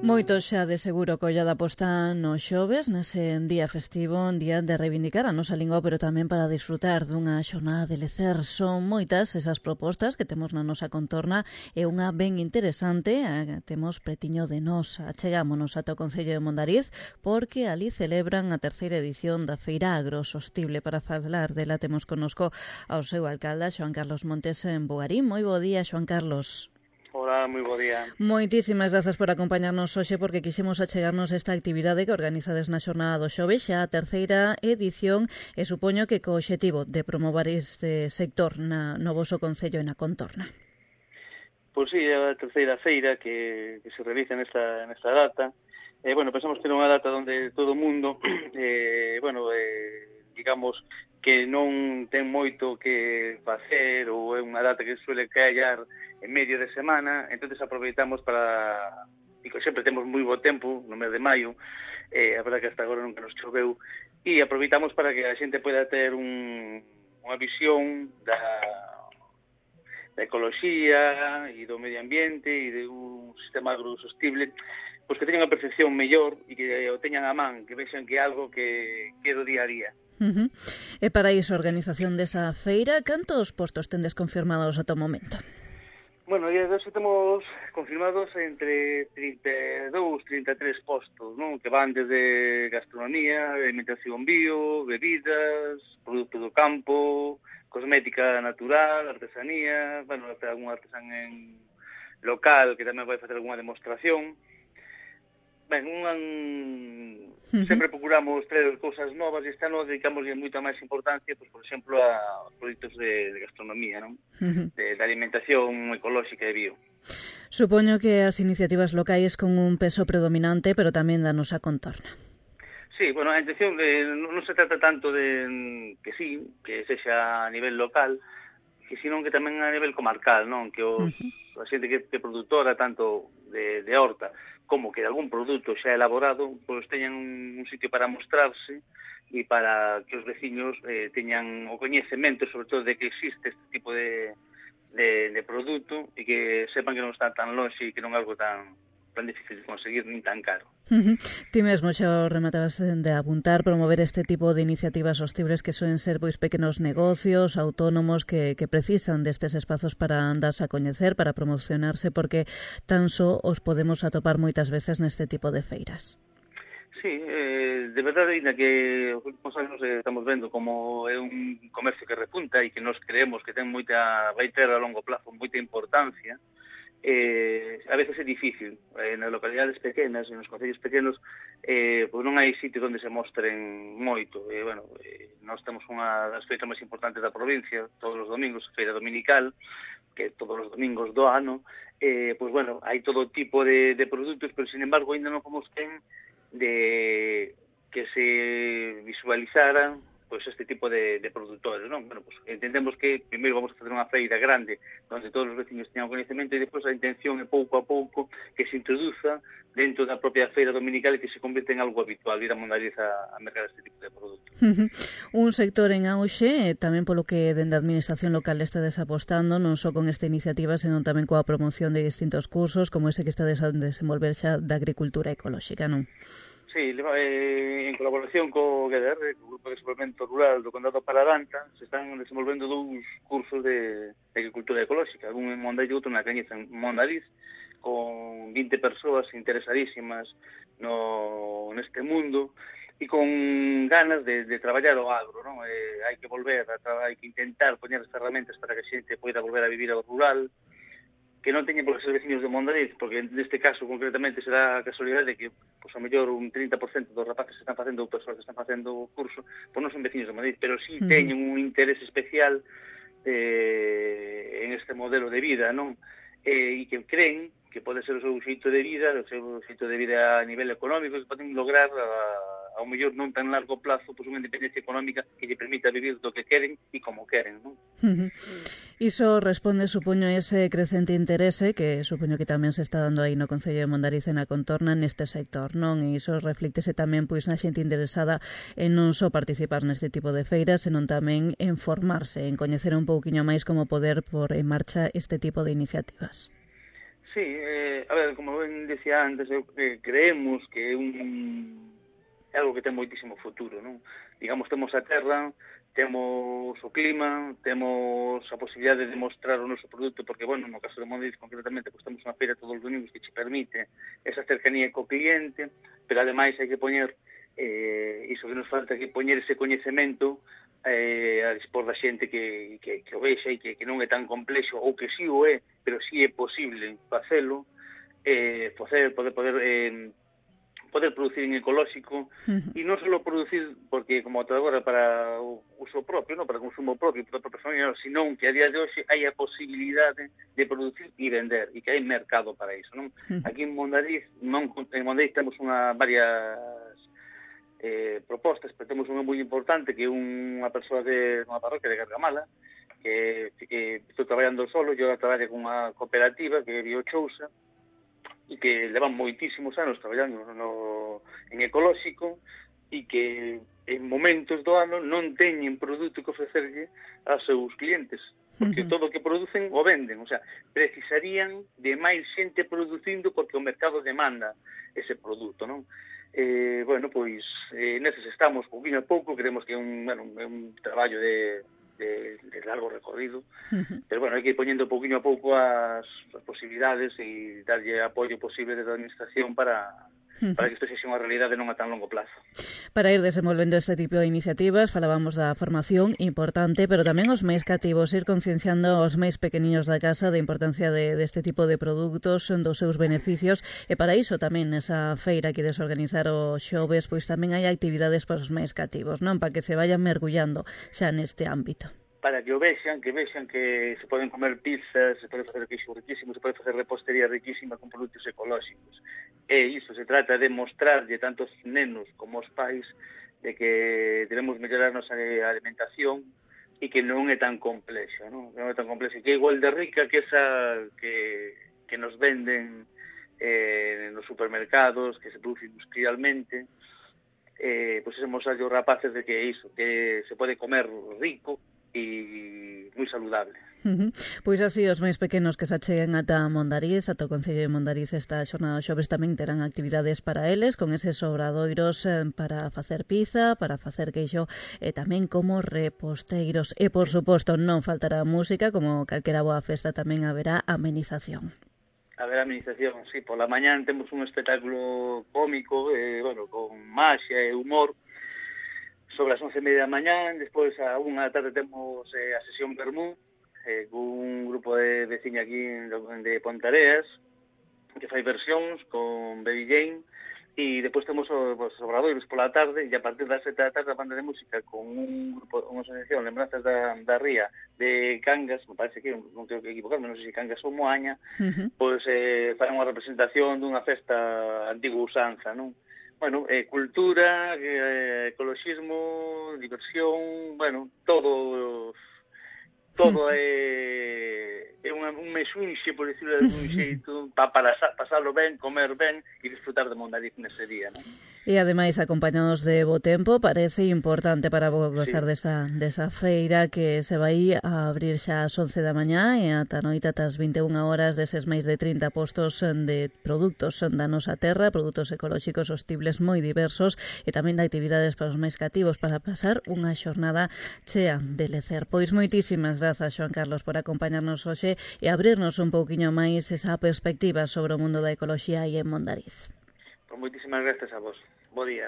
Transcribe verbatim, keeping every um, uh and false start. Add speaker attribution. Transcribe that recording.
Speaker 1: Moitos xa de seguro que ollada posta no xoves, nese día festivo, un día de reivindicar a nosa lingua, pero tamén para disfrutar dunha xornada de lecer. Son moitas esas propostas que temos na nosa contorna e unha ben interesante a, temos pretiño de nós. Achegámonos ata o Concello de Mondariz porque ali celebran a terceira edición da Feira Agrosostible. Para falar dela temos connosco ao seu alcalde, Xoán Carlos Montes en Bugarín. Moi bo día, Xoán Carlos.
Speaker 2: Hola, moi bo día.
Speaker 1: Moitísimas grazas por acompañarnos hoxe porque quixemos achegarnos esta actividade que organizades na xornada do xoves, xa a terceira edición, e supoño que co obxectivo de promover este sector na, no voso concello e na contorna.
Speaker 2: Pois sí, é a terceira feira que, que se realiza nesta, nesta data. Eh, bueno, pensamos que é unha data onde todo o mundo, eh, bueno, eh, digamos que non ten moito que facer ou é unha data que suele callar en medio de semana, entonces aproveitamos para, e sempre temos moi bo tempo no mes de maio, eh, a verdad que hasta agora nunca nos choveu, e aproveitamos para que a xente poida ter un, unha visión da, da ecoloxía e do medio ambiente e de un sistema agrosostible, pois que teñan a percepción mellor e que o teñan a man, que vexan que é algo que, que é do día a día.
Speaker 1: Uh-huh. E para iso, a organización desa feira, cantos postos tendes confirmados ata o momento?
Speaker 2: Bueno, e de temos confirmados entre trinta e dous, trinta e tres postos, non? Que van desde gastronomía, alimentación bio, bebidas, produto do campo, cosmética natural, artesanía, bueno, até algún artesán en local que tamén vai facer algunha demostración. Ben, un, uh-huh. sempre procuramos traer cousas novas e este ano dedicamos moita máis importancia, pues, por exemplo, a proxectos de, de gastronomía, non? Uh-huh. de, de alimentación ecolóxica e bio.
Speaker 1: Supoño que as iniciativas locais con un peso predominante, pero tamén da nosa contorna.
Speaker 2: Sí, bueno, a intención de, non se trata tanto de que sí, que sexa a nivel local, que sino que tamén a nivel comarcal, non? Que os, uh-huh. a xente que é produtora tanto de, de horta como que algún produto xa elaborado, pois teñan un, un sitio para mostrarse e para que os veciños eh, teñan o coñecemento, sobre todo, de que existe este tipo de, de, de produto e que sepan que non está tan longe e que non é algo tan, tan difícil de conseguir nin tan caro.
Speaker 1: Uh-huh. Ti mesmo xa rematabas de apuntar, promover este tipo de iniciativas sostibles que suelen ser pois pequenos negocios, autónomos que, que precisan destes espazos para andarse a coñecer, para promocionarse, porque tan só os podemos atopar moitas veces neste tipo de feiras.
Speaker 2: Sí, eh, de verdade, ainda que os últimos anos eh, estamos vendo como é un comercio que repunta e que nos creemos que ten moita, vai ter a longo plazo moita importancia, eh, a veces é difícil. Eh, nas localidades pequenas, nos concellos pequenos, eh, pois non hai sitio onde se mostren moito. Eh, bueno, eh, nós temos unha das feiras máis importantes da provincia, todos os domingos, feira dominical, que todos os domingos do ano, eh, pois bueno, hai todo tipo de, de produtos, pero sin embargo ainda non fomos quen de que se visualizaran pois este tipo de, de produtores, non? Bueno, pois entendemos que primeiro vamos a facer unha feira grande onde todos os veciños teñan conhecemento e depois a intención é pouco a pouco que se introduza dentro da propia feira dominical e que se convirte en algo habitual ir a Mondariz a, a mercar este tipo de produtos.
Speaker 1: Uh-huh. Un sector en auxe, tamén polo que dende a administración local estades apostando, non só con esta iniciativa, senón tamén coa promoción de distintos cursos como ese que estades a desenvolver xa da agricultura ecolóxica, non?
Speaker 2: Sí, eh, en colaboración co G D R, co Grupo de Desenvolvemento Rural do Condado de Paradanta, se están desenvolvendo dous cursos de, de agricultura ecolóxica, un en Mondariz e outro na Cañiza, en Mondariz, con vinte persoas interesadísimas no neste mundo e con ganas de, de traballar o agro, non? Eh, hai que volver, a hai que intentar poñer as ferramentas para que a xente poida volver a vivir ao rural, que non teñen por ser veciños de Mondariz, porque neste caso concretamente será a casualidade que pois, a mellor un trinta por cento dos rapaces que están facendo ou persoas que están facendo o curso pois non son veciños de Mondariz, pero sí teñen un interés especial eh, en este modelo de vida, non? Eh, e que creen que pode ser o seu xeito de vida, o seu xeito de vida a nivel económico, que poden lograr a, a ao mellor non tan largo plazo, pois unha independencia económica que lle permita vivir do que queren e como queren, non?
Speaker 1: Uh-huh. Iso responde, supoño, ese crecente interese que supoño que tamén se está dando aí no Concello de Mondariz e na contorna neste sector, non? E iso reflíctese tamén pois na xente interesada en non só participar neste tipo de feiras, senón tamén en formarse, en coñecer un pouquiño máis como poder por en marcha este tipo de iniciativas.
Speaker 2: Sí, eh, a ver, como ben decía antes, eu, eh, creemos que é un é algo que ten moitísimo futuro, non? Digamos, temos a terra, temos o clima, temos a posibilidade de mostrar o noso produto, porque, bueno, no caso de Mondariz, concretamente, pues, temos unha feira todos os domingos que che permite esa cercanía co cliente, pero ademais hai que poñer, eh, iso que nos falta, que poñer ese coñecemento eh, a dispor da xente que, que, que o vexa e que, que non é tan complexo, ou que sí o é, pero sí é posible facelo, eh, facer, poder, poder, eh, poder producir en ecolóxico, uh-huh. E non só producir, porque como ata agora para o uso propio, non para o consumo propio, para a propia familia, senón que a día de hoxe hai a posibilidade de producir e vender, e que hai mercado para iso, non? Uh-huh. Aquí en Mondariz, non, en Mondariz temos unha varias eh, propostas, pero temos unha moi importante que é unha persoa de unha parroquia de Gargamala que, que estou traballando solo, eu traballo con unha cooperativa que é Biochousa e que levan moitísimos anos traballando no, en ecolóxico e que en momentos do ano non teñen produto que ofrecerlle aos seus clientes, porque uh-huh. todo o que producen o venden, o sea, precisarían de máis xente producindo porque o mercado demanda ese produto, non? Eh, bueno, pois, eh, neses estamos pouquinho a pouco, creemos que é un, bueno, é un traballo de, de, de largo recorrido, uh-huh. Pero, bueno, hai que ir poñendo pouquinho a pouco as, as posibilidades e darlle apoio posible desde a administración para, uh-huh. para que isto sexa unha realidade non a tan longo plazo.
Speaker 1: Para ir desenvolvendo este tipo de iniciativas, falábamos da formación importante, pero tamén os máis cativos, ir concienciando os máis pequeniños da casa da importancia de, deste tipo de produtos, dos seus beneficios, e para iso tamén nesa feira que desorganizar os xoves, pois tamén hai actividades para os máis cativos, non? Para que se vayan mergullando xa neste ámbito.
Speaker 2: Para que o vexan, que vexan que se poden comer pizzas, se pode facer queixo riquísimo, se pode facer repostería riquísima con produtos ecolóxicos. E iso se trata de mostrarlle tanto os nenos como os pais de que debemos mellorar a nosa alimentación e que non é tan complexo, non? Non é tan complexo, que é igual de rica que esa que, que nos venden eh, nos supermercados, que se produce industrialmente. Eh, pois pues, mostrarlle os rapaces de que é iso, que se pode comer rico e moi saludable.
Speaker 1: Uh-huh. Pois así os máis pequenos que se acheguen ata Mondariz, ata o Concello de Mondariz esta xornada dos xoves tamén terán actividades para eles, con eses obradoiros eh, para facer pizza, para facer queixo e tamén como reposteiros. E, por suposto, non faltará música, como calquera boa festa tamén haberá amenización.
Speaker 2: Haberá amenización, sí. Pola mañán temos un espectáculo cómico, eh, bueno, con maxia e humor, sobre as once e media da mañán. Despois a unha da tarde temos eh, a sesión Bermú, eh, con un grupo de veciña aquí de Pontareas que fai versións con Baby Jane, e despois temos os, os obradoiros pola tarde, e a partir das sete da tarde a banda de música con un grupo, unha asociación Lembranzas da, da Ría de Cangas, me parece que non tengo que equivocarme, non sei se Cangas ou Moaña, uh-huh. Pois eh, fai unha representación dunha festa antiga usanza, non? Bueno, eh, cultura, eh, ecoloxismo, diversión, bueno, todo todo é, é un, un mesunxe, por decirlo de algún xeito, pa, para pasarlo ben, comer ben e disfrutar de Mondariz nese día, non?
Speaker 1: E ademais, acompañados de bo tempo, parece importante para gozar sí. desa, desa feira que se vai a abrir xa ás once da mañá e ata noite ata as vinte e unha horas deses máis de trinta postos de produtos da nosa terra, produtos ecolóxicos sostibles moi diversos e tamén de actividades para os máis cativos para pasar unha xornada chea de lecer. Pois moitísimas grazas, Xoán Carlos, por acompañarnos hoxe e abrirnos un pouquiño máis esa perspectiva sobre o mundo da ecoloxía aí en Mondariz.
Speaker 2: Pues moitísimas grazas a vos. Bo día.